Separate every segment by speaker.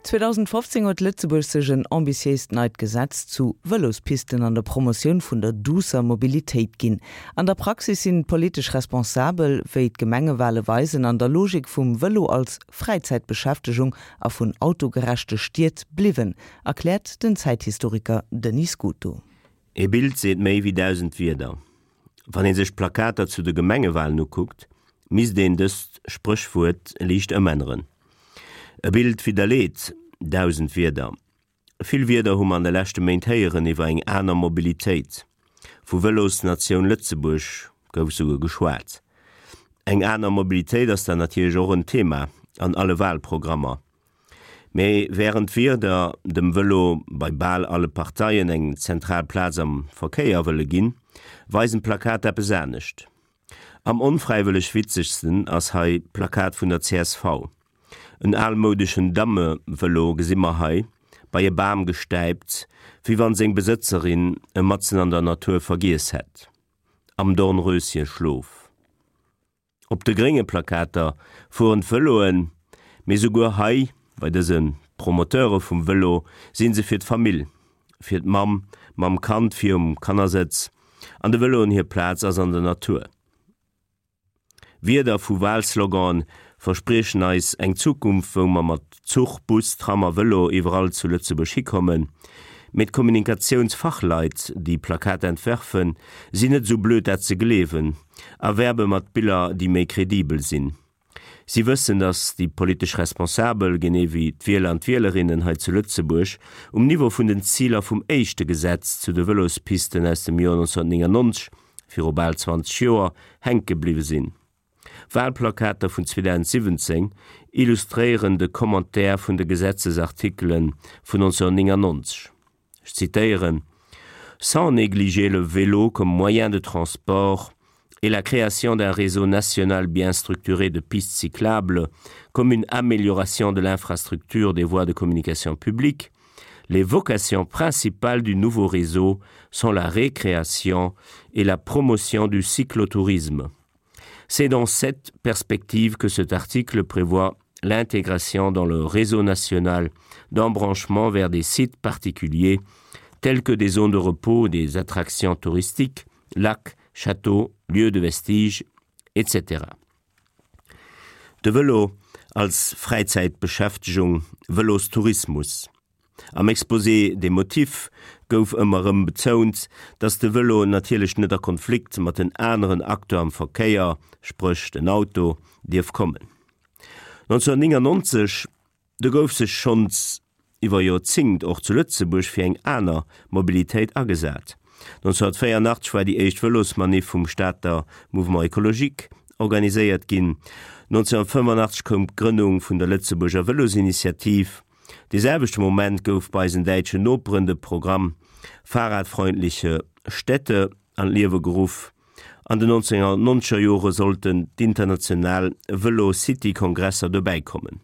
Speaker 1: 2015 huet Lëtzebuerg sech en ambitiéist neit Gesetz zu Vëlospisten an der Promotioun vun der duusser Mobilitéit ginn. An der Praxis sinn d'politesch Responsabel, wéi d'Gemengewale weisen, an der Logik vum Vëlo als Fräizäitbeschäftegung a vun autogerechte Stied bliwwen, erkläert den Zäithistoriker Denis Scuto.
Speaker 2: Ee Bild seet méi wéi 1.000 Wierder. Wann ee sech d'Plakater zu de Gemengewalen ukuckt, misst een dëst Spréchwuert liicht ëmänneren. E Bild widderleet 1.000 Wierder. Vill Wierder hu mer an de leschte Méint héieren iwwer eng aner Mobilitéit. Vu Vëlosnatioun Lëtzebuerg gouf souguer geschwat. Eng aner Mobilitéit ass dann natierlech och en Thema an alle Walprogrammer. Mee wärend d'Wierder dem Vëlo bei bal alle Parteien eng zentral Plaz am Verkéier wëlle ginn, weisen d'Plakater eppes anescht. Am onfräiwëlleg witzegsten ass hei d'Plakat vun der csv. En almoudeschen Dammevëlo gesi mer hei, bei e Bam gestäipt, wéi wann seng Besëtzerin e matzen an der Natur vergiess hätt. Am Dornröschenschlof. Op de grénge Plakater fueren d'Vëloen, mee souguer hei, bei dëse Promoteure vum Vëlo, si se fir d'Famill, fir d'Mamm mam Kand vir um Kannersëtz, an de Vëloen hir Plaz ass an der Natur. Wierder vu Walslogane verspriechen eis eng Zukunft, wou mer mat Zuch, Bus, Tram a Vëlo iwwerall zu Lëtzebuerg hikommen. Mee d'Kommunikatiounsfachleit, déi Plakater entwerfen, sinn net esou blöd dat ze gleewen a werbe mat Biller, déi méi kredibel sinn. Si wëssen, datt déi politesch Responsabel, genee wéi d'Wieler an d'Wielerinnen hei zu Lëtzebuerg, um Niveau vun den Ziler vum éischte Gesetz zu de Vëlospisten aus dem Joer 1999, viru bal 20 Joer, hänke bliwwe sinn. Walplakater vun 2017 illustréieren de Commentaire vun de Gesetzesartikele vun 1999. Ech zitéieren, Sans négliger le vélo comme moyen de transport et la création d'un réseau national bien structuré de pistes cyclables comme une amélioration de l'infrastructure des voies de communication publique, les vocations principales du nouveau réseau sont la récréation et la promotion du cyclotourisme. C'est dans cette perspective que cet article prévoit l'intégration dans le réseau national d'embranchements vers des sites particuliers tels que des zones de repos, des attractions touristiques, lacs, châteaux, lieux de vestiges, etc. De Vëlo als Fräizäitbeschäftegung, Vëlostourismus. Am Exposé des motifs gouf ëmmer erëm betount, dass de Vëlo natierlech net a Konflikt mat den aneren Acteur am Verkéier, spréch den Auto, dierf kommen. 1999, do gouf sech schonns iwwer Joerzéngt och zu Lëtzebuerg fir eng aner Mobilitéit agesat. 1984 war déi éischt Vëlosmanif vum Stater Mouvement Écologique organiséiert ginn. 1985 koum d'Grënnung vun der Lëtzebuerger Vëlosinitiativ. Dee selwechte Moment gouf bei eisen däitschen Noperen de Programm Fahrradfreundliche Städte an d'Liewe geruff. An den 1990er Jore sollten d'international Vëlo-City-Kongresser dobäi kommen,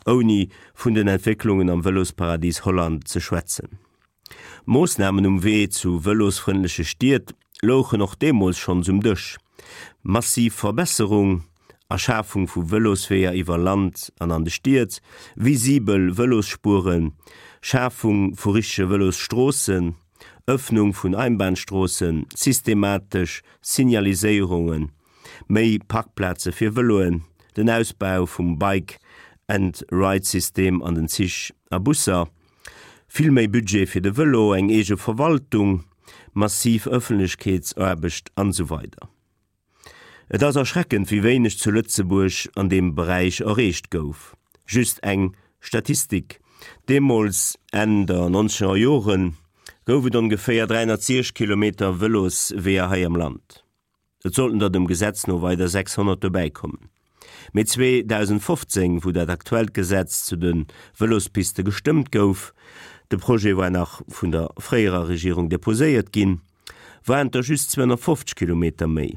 Speaker 2: ouni vun den Entwécklungen am Vëlosparadis Holland ze schwätzen. Moossnamen um Wee zu vëlosfrëndleche Stied louchen och deemools schonns um Dësch, massiv Verbesserung a Schafung vu Vëlosweeër iwwer Land an an de Stied, visibel Vëlosspueren, Schafung vu richtege Vëlosstroossen, Ëffnung vun Einbahnstroossen, systematesch Signaliséierungen, méi Parkplaze fir Vëloen, den Ausbau vum Bike and Ride-System an den Zich a Busser. Vill méi Budget fir de Vëlo, eng eege Verwaltung, massiv Ëffentlechkeetsaarbecht an esou weider. Et ass erschreckend, wéi wéineg zu Lëtzebuerg an deem Beräich erreecht gouf. Just eng Statistik, Deemools, Enn der nonzeger Joren, gouf et ongeféier 360 Kilometer Vëlosweeër hei am Land. Et sollten der dem Gesetz no weider 600 dobäi kommen. Mee 2015, wou dat aktuellt Gesetz zu de Vëlospiste gestëmmt gouf, de Projet war nach vun der fréierer Regierung deposéiert ginn, waren et der just 250 Kilometer méi.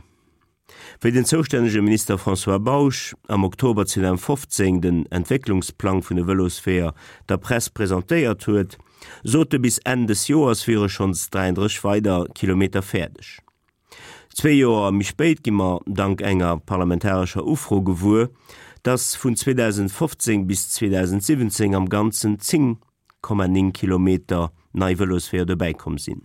Speaker 2: Wéi den zoustännege Minister François Bausch am Oktober 2015 den Entwécklungsplang vun de Vëlosweeër der Press presentéiert huet, sot e bis Enn des Joers wiere schonns 33 weider Kilometer fäerdeg. Zwee Joer méi spéit gi mer dank enger parlamentarescher Ufro gewuer, dass vun 2015 bis 2017 am Ganzen 10,9 Kilometer nei Vëlosweeër dobäikomm sinn.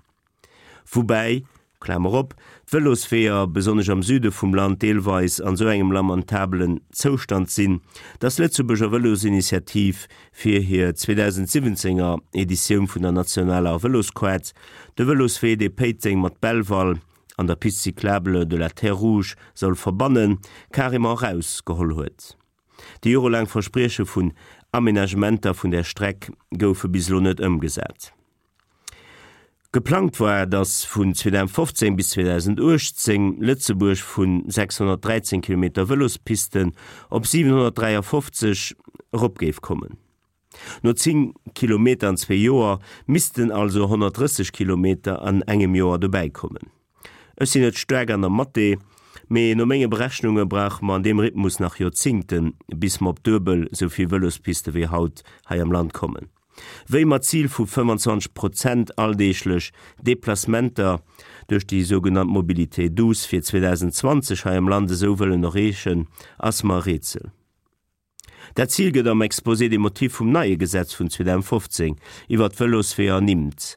Speaker 2: Woubäi, Klamer op, d'Vëlosweeër, besonnesch am Süde vum Land, deelweis an esou engem lamentabelen Zoustand sinn, dass d'Lëtzebuerger Vëlosinitiativ fir hir 2017 er Editioun vun der nationaler Vëlosquart de Vëloswee, dee Péiteng mat Belval an der Piste cyclable de la Terre Rouge soll verbannen, carrément erausgeholl huet. Déi jorelaang Versprieche vun Aménagementer vun där Streck goufe bis elo net ëmgesat. Geplangt war, datt vun 2015 bis 2018 Lëtzebuerg vu 613 Kilometer Vëlospisten op 753 erop géif kommen. No 10 Kilometer an zwee Joer missten also 130 Kilometer an engem Joer dobäi kommen. Ech sinn net staark an der Mathé, mee no menge Berechnunge brauche mer an deem Rhythmus nach Joerzingten, bis mer op duebel esou vill Vëlospiste wéi haut hei am Land kommen. Wéi mer d'Zil vu 25 Prozent alldeeglech Deplacementer duerch déi sougenannt Mobilité douce fir 2020 hei am Land esou wëllen erreechen, ass mer e Rätsel. Dat Zil gëtt am Exposé des motifs vum neie Gesetz vun 2015 iwwert d'Vëlosweeër ernimmt.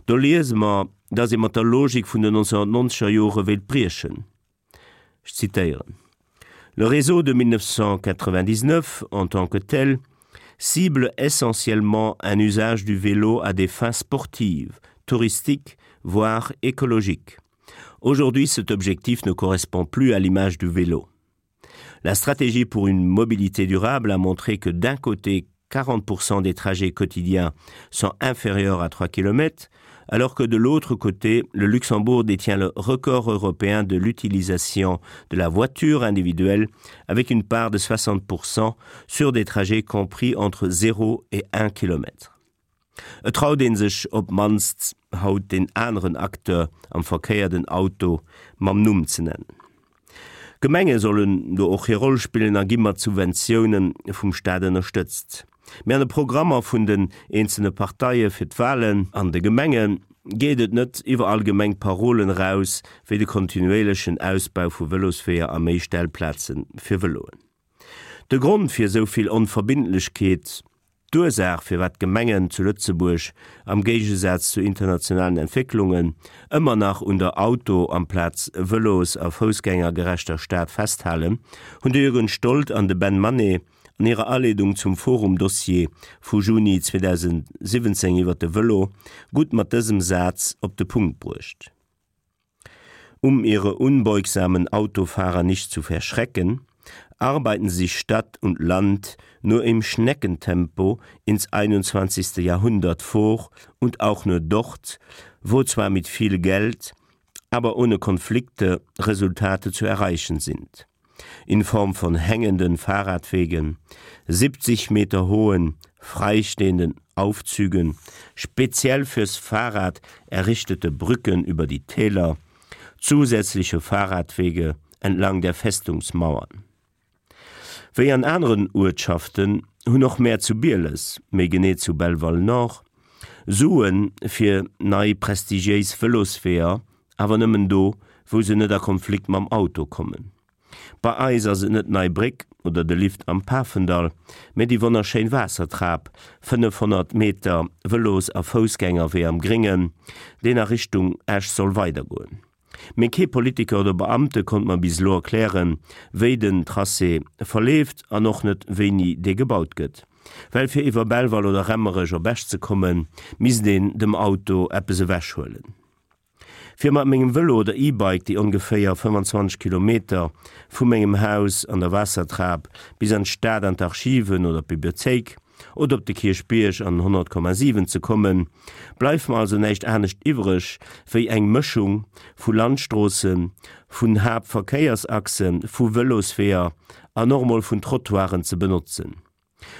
Speaker 2: Do liese mer, dass ee mat der Logik vun den 1990er Jore wéilt briechen. Ech zitéieren, Le réseau de 1999 en tant que tel cible essentiellement un usage du vélo à des fins sportives, touristiques, voire écologiques. Aujourd'hui, cet objectif ne correspond plus à l'image du vélo. La stratégie pour une mobilité durable a montré que d'un côté 40% des trajets quotidiens sont inférieurs à 3 km, alors que de l'autre côté, le Luxembourg détient le record européen de l'utilisation de la voiture individuelle avec une part de 60% sur des trajets compris entre 0 et 1 km. Et traut ee sech op d'mannst haut deen aneren Acteur am Verkéier, den Auto, mam Numm ze nennen. D'Gemenge sollen do och hir Roll spillen a gi mat Subventioune vum Staat ënnerstëtzt. Mee an de Programmer vun den eenzelne Parteie fir d'Walen an de Gemenge geet et net iwwer allgemeng Parolen eraus wéi de kontinuéierlechen Ausbau vu Vëlosweeër a méi Stellplaze fir Vëloen. De Grond fir esou vill Onverbindlechkeet, d'Ursaach firwat d'Gemengen zu Lëtzebuerg, am Géigesaz zu internationalen Entwécklungen, ëmmer nach un der Auto amplaz Vëlos a foussgängergerechter Stad festhalen, hunn de Jürgen Stold an de Ben Mané an hirer Aleedung zum Forum-Dossier vu Juni 2017 iwwer de Vëlo gutt mat dësem Saz op de Punkt bruecht. Um ihre unbeugsamen Autofahrer nicht zu verschrecken, arbeiten sich Stadt und Land nur im Schneckentempo ins 21. Jahrhundert vor und auch nur dort, wo zwar mit viel Geld, aber ohne Konflikte Resultate zu erreichen sind in Form von hängenden Fahrradwegen, 70 Meter hohen, freistehenden Aufzügen, speziell fürs Fahrrad errichtete Brücken über die Täler, zusätzliche Fahrradwege entlang der Festungsmauern. Wéi an aneren Uertschaften hunn och mär zu Bieles, méi genee zu Belval-Nord, Sue fir nei prestigiéis Vëlosweeër, awer nëmmen do, wou se net a Konflikt mam Auto kommen. Bei eis ass et net d'Nei Bréck oder de Lift am Pafendall, mä déi wonnerschéin Waassertrap, 500 Meter Vëlos a Foussgängerwee am Gréngen, deen a Richtung Esch soll weidergoen. Mee kee Politiker oder Beamte konnt mer bis elo erklären, wéi den Tracé verleeft an och net wéini dee gebaut gëtt. Well fir iwwer Belval oder Remmerech op Esch ze kommen, misst een dem Auto eppes ewech huelen. Fir mat mengem Vëlo oder E-Bike déi ongeféier 25 Kilometer vu mengem Haus an der Waassertrap bis an d'Stad an d'Archiven oder d'Bibliothéik oder op de Kierchbierg an den 100,7 ze kommen, bleift mer also näischt anescht iwwreg wéi eng Mëschung vu Landstroossen, vun Haaptverkéiersachsen, vu Vëlosweeër an och emol vun Trottoiren ze benotzen.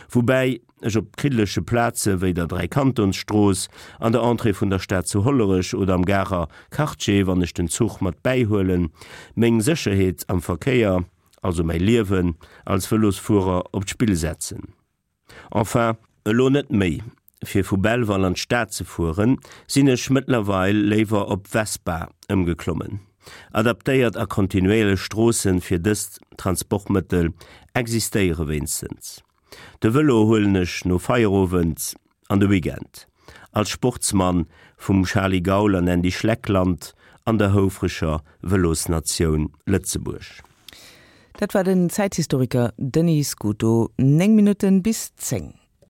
Speaker 2: Woubäi ech op kriddeleche Plaze wéi der Dräikantonsstrooss, an der Entrée vun der Stad zu Hollerech oder am Garer Quartier, wann ech den Zuch mat bäihuelen, meng Sécherheet am Verkéier, also mäi Liewen als Vëlosfuerer op d'Spill setzen. Enfin, elo net méi. Fir vu Belval an d'Stad ze fueren, sinn ech mëttlerweil léiwer op Vespa ëmgeklommen. Adaptéiert a kontinuéierlech Stroossen fir dëst Transportmëttel Existéiere wéinstens. De Vëlo huelen ech no Feierowend an de Weekend. Als Sportsmann vum Charly Gaul an Andy Schleck Land an der houfreger Vëlosnatioun Lëtzebuerg.
Speaker 1: Dat war den Zäithistoriker Denis Scuto. 9 Minutten bis 10.